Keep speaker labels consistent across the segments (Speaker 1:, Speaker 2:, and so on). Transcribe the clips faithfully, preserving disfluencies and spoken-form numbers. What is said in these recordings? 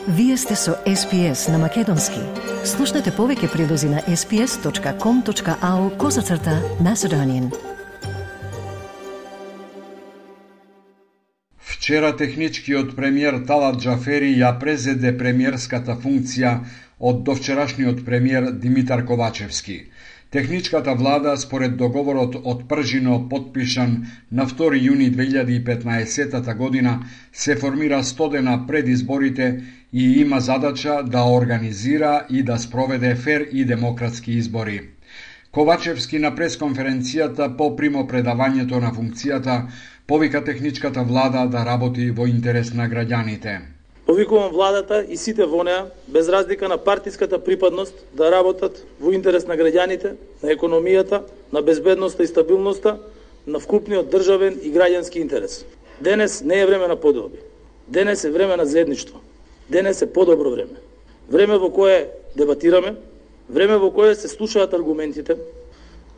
Speaker 1: Вие сте со Ес Пи Ес на Македонски. Слушнете повеќе прилози на ес пи ес точка ком точка ау козацрта Macedonian.
Speaker 2: Вчера техничкиот премиер Талат Џафери ја презеде премиерската функција од довчерашниот премиер Димитар Ковачевски. Техничката влада, според договорот од Пржино подпишан на втори јуни две илјади и петнаесета година, се формира сто дена пред изборите и има задача да организира и да спроведе фер и демократски избори. Ковачевски на пресконференцијата по примопредавањето на функцијата повика техничката влада да работи во интерес на граѓаните.
Speaker 3: Повикувам владата и сите во неа, без разлика на партиската припадност, да работат во интерес на граѓаните, на економијата, на безбедноста и стабилноста, на вкупниот државен и граѓански интерес. Денес не е време на подоби. Денес е време на заедништво. Денес е подобро време. Време во кое дебатираме, време во кое се слушаат аргументите,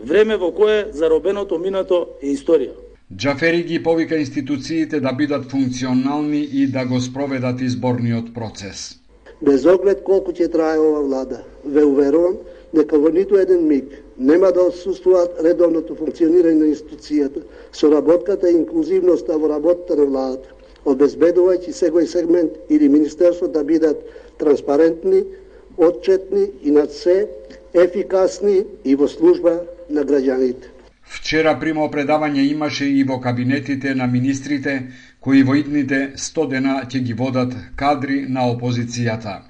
Speaker 3: време во кое заробеното минато е историја.
Speaker 2: Џафери ги повика институциите да бидат функционални и да го спроведат изборниот процес.
Speaker 4: Без оглед колку ќе трае ова влада, ве уверувам дека во ниту еден миг нема да отсуствуваат редовното функционирање на институцијата, соработката и инклузивноста во работата на владата, обезбедувајќи секој сегмент или министерство да бидат транспарентни, отчетни и над се ефикасни и во служба на граѓаните.
Speaker 2: Вчера примопредавање имаше и во кабинетите на министрите, кои во идните сто дена ќе ги водат кадри на опозицијата.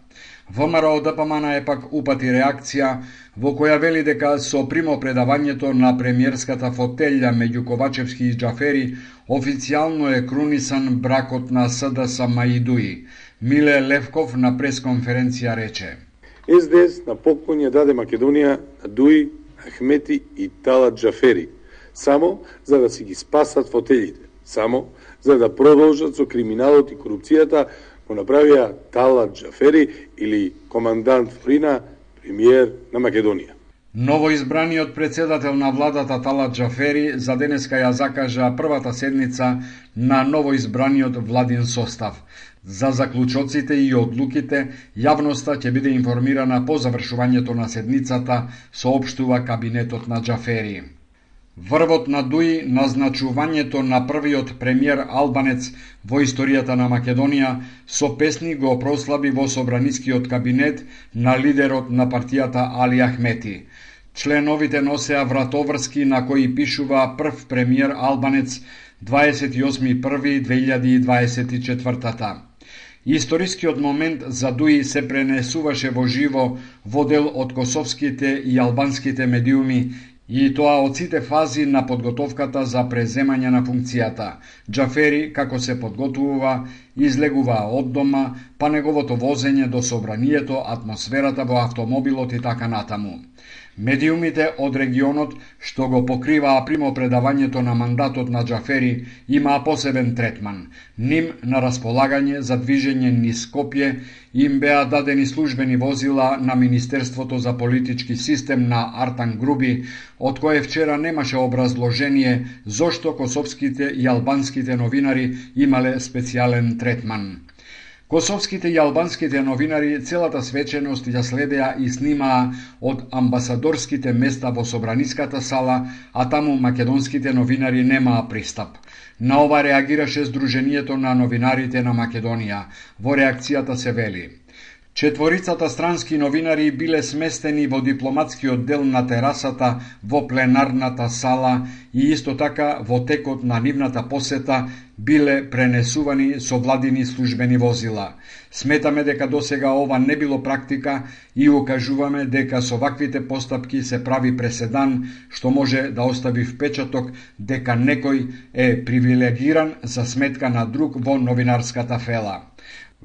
Speaker 2: ВМРО Д П М Н е пак упати реакција во која вели дека со примопредавањето на премиерската фотелја меѓу Ковачевски и Џафери официјално е крунисан бракот на С Д С Маидуи. Миле Левков на пресконференција рече:
Speaker 5: Ес Д Ес на поклон ја даде Македонија на Дуи, Ахмети и Талат Џафери, само за да си ги спасат фотелите, само за да продолжат со криминалот и корупцијата, го направија Талат Џафери или командант Фрина, премиер на Македонија.
Speaker 2: Новоизбраниот председател на владата Талат Џафери за денеска ја закажа првата седница на новоизбраниот владин состав. За заклучоците и одлуките, јавноста ќе биде информирана по завршувањето на седницата, соопштува кабинетот на Џафери. Врвот на Дуи, назначувањето на првиот премиер албанец во историјата на Македонија, со песни го прослави во собранискиот кабинет на лидерот на партијата Али Ахмети. Членовите носеа вратоврски на кои пишува прв премиер албанец дваесет и осми први две илјади и дваесет и четвртата. Историскиот момент за Дуи се пренесуваше во живо во дел од косовските и албанските медиуми, и тоа од сите фази на подготовката за преземање на функцијата. Џафери, како се подготвува, излегува од дома, па неговото возење до собранието, атмосферата во автомобилот и така натаму. Медиумите од регионот, што го покриваа примопредавањето на мандатот на Џафери, имаа посебен третман. Ним на располагање за движење низ Скопје им беа дадени службени возила на Министерството за политички систем на Артан Груби, од кое вчера немаше образложение зошто косовските и албанските новинари имале специјален третман. Косовските и албанските новинари целата свеченост ја следеа и снимаа од амбасадорските места во собраниската сала, а таму македонските новинари немаа пристап. На ова реагираше Сдруженијето на новинарите на Македонија. Во реакцијата се вели: Четворицата странски новинари биле сместени во дипломатскиот дел на терасата во пленарната сала и исто така во текот на нивната посета биле пренесувани со владини службени возила. Сметаме дека досега ова не било практика и укажуваме дека со ваквите постапки се прави преседан што може да остави впечаток дека некој е привилегиран за сметка на друг во новинарската фела.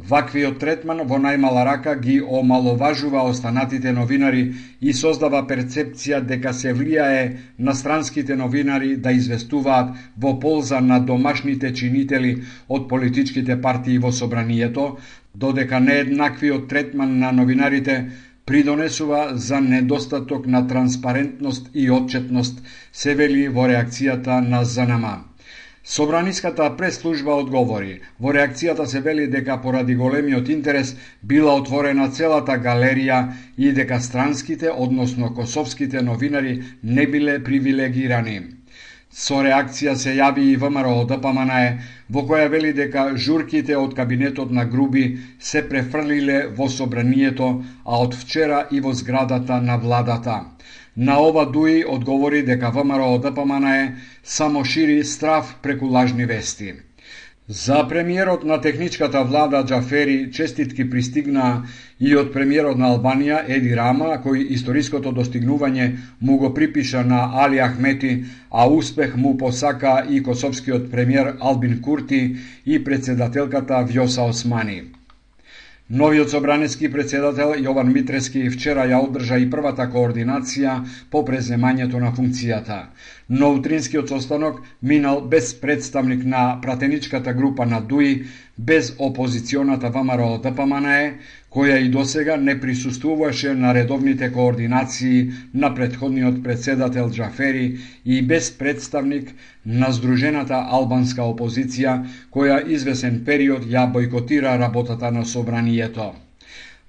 Speaker 2: Ваквиот третман во најмала рака ги омаловажува останатите новинари и создава перцепција дека се влијае на странските новинари да известуваат во полза на домашните чинители од политичките партии во собранието, додека нееднаквиот третман на новинарите придонесува за недостаток на транспарентност и отчетност, се вели во реакцијата на З Н М. Собраниската прес-служба одговори. Во реакцијата се вели дека поради големиот интерес била отворена целата галерија и дека странските, односно косовските новинари не биле привилегирани. Со реакција се јави и ВМРО Д П М Н Е, во која вели дека журките од кабинетот на Груби се префрлиле во собранието, а од вчера и во зградата на владата. На ова Дуи одговори дека ВМРО Д П М Н Е само шири страв преку лажни вести. За премиерот на техничката влада Џафери честитки пристигнаа и од премиерот на Албанија Еди Рама, кој историското достигнување му го припиша на Али Ахмети, а успех му посака и косовскиот премиер Албин Курти и председателката Вјоса Османи. Новиот собраниски председател Јован Митрески вчера ја одржа и првата координација по преземањето на функцијата. Но утринскиот состанок минал без представник на пратеничката група на Дуи, без опозиционата ВМРО Д П М Н Е, која и досега не присуствуваше на редовните координации на претходниот председател Џафери и без представник на Сдружената албанска опозиција, која извесен период ја бойкотира работата на собранието.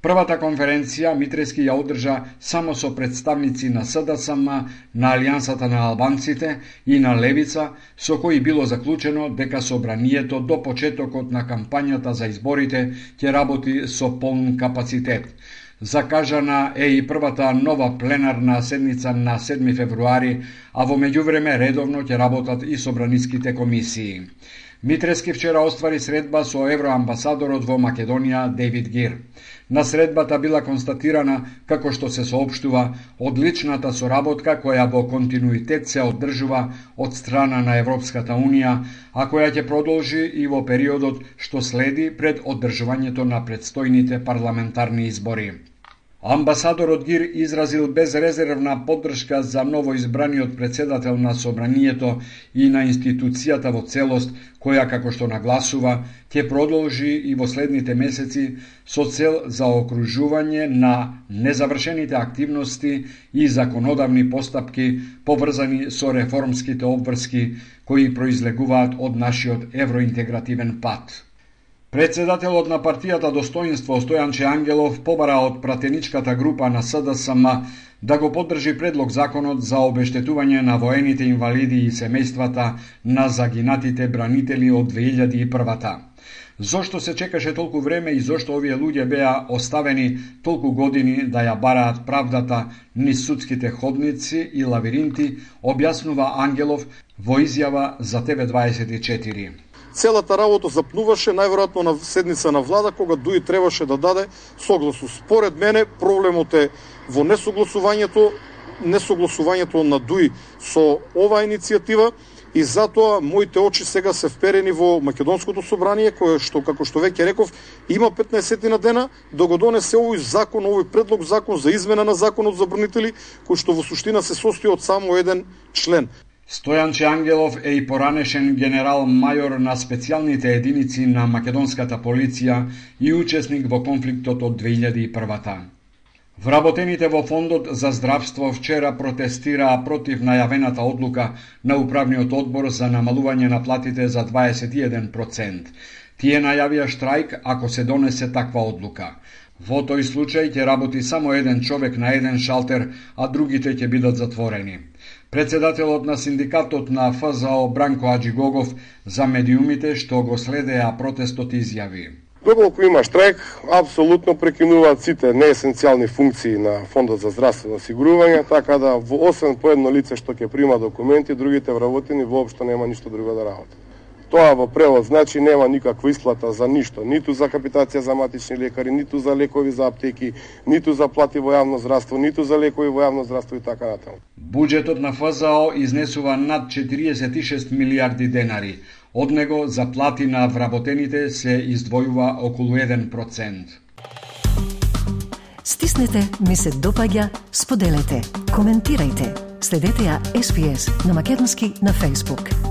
Speaker 2: Првата конференција Митрески ја одржа само со представници на С Д С М, на Алијансата на албанците и на Левица, со кои било заклучено дека собранието до почетокот на кампањата за изборите ќе работи со полн капацитет. Закажана е и првата нова пленарна седница на седми февруари, а во меѓувреме редовно ќе работат и собраниските комисии. Митрески вчера оствари средба со евроамбасадорот во Македонија Дейвид Гир. На средбата била констатирана, како што се соопштува, одличната соработка која во континуитет се одржува од страна на Европската Унија, а која ќе продолжи и во периодот што следи пред одржувањето на предстојните парламентарни избори. Амбасадорот Гир изразил безрезервна поддршка за новоизбраниот председател на собранието и на институцијата во целост, која, како што нагласува, ќе продолжи и во следните месеци со цел за окружување на незавршените активности и законодавни постапки поврзани со реформските обврски кои произлегуваат од нашиот евроинтегративен пат. Председателот на партијата Достоинство Стојанче Ангелов побара од пратеничката група на С Д С М да го поддржи предлог законот за обештетување на воените инвалиди и семејствата на загинатите бранители од две илјади и прва. Зошто се чекаше толку време и зошто овие луѓе беа оставени толку години да ја бараат правдата низ судските ходници и лавиринти, објаснува Ангелов во изјава за Т В дваесет и четири.
Speaker 6: Целата работа запнуваше најверојатно на седница на влада, кога Дуи требаше да даде согласност. Според мене проблемот е во несогласувањето, несогласувањето на Дуи со оваа иницијатива и затоа моите очи сега се вперени во Македонското собрание, кое што, како што веќе реков, има петнаесет на дена да го донесе овој закон, овој предлог закон за измена на законот за бранители, кој што во суштина се состои од само еден член.
Speaker 2: Стојанче Ангелов е и поранешен генерал мајор на специјалните единици на македонската полиција и учесник во конфликтот од две илјади и прва. Вработените во Фондот за здравство вчера протестираа против најавената одлука на Управниот одбор за намалување на платите за дваесет и еден проценти. Тие најавија штрајк ако се донесе таква одлука. Во тој случај ќе работи само еден човек на еден шалтер, а другите ќе бидат затворени. Председателот на синдикатот на Ф З О Бранко Аџигогов за медиумите што го следеа протестот изјави.
Speaker 7: Доколку има штрајк, апсолутно прекинуваат сите неесенцијални функции на Фондот за здравствено осигурување, така да во освен по едно лице што ќе прима документи, другите вработени воопшто нема ништо друго да работат. Тоа во превод значи нема никаква исплата за ништо, ниту за капитација за матични лекари, ниту за лекови за аптеки, ниту за плати во јавно здравство, ниту за лекови во јавно здравство и така натаму.
Speaker 2: Буџетот на Ф З О изнесува над четириесет и шест милијарди денари. Од него за плати на вработените се издвојува околу еден процент.
Speaker 1: Стиснете, ми се допаѓа, споделете, коментирајте. Следете ја С П С на македонски на Facebook.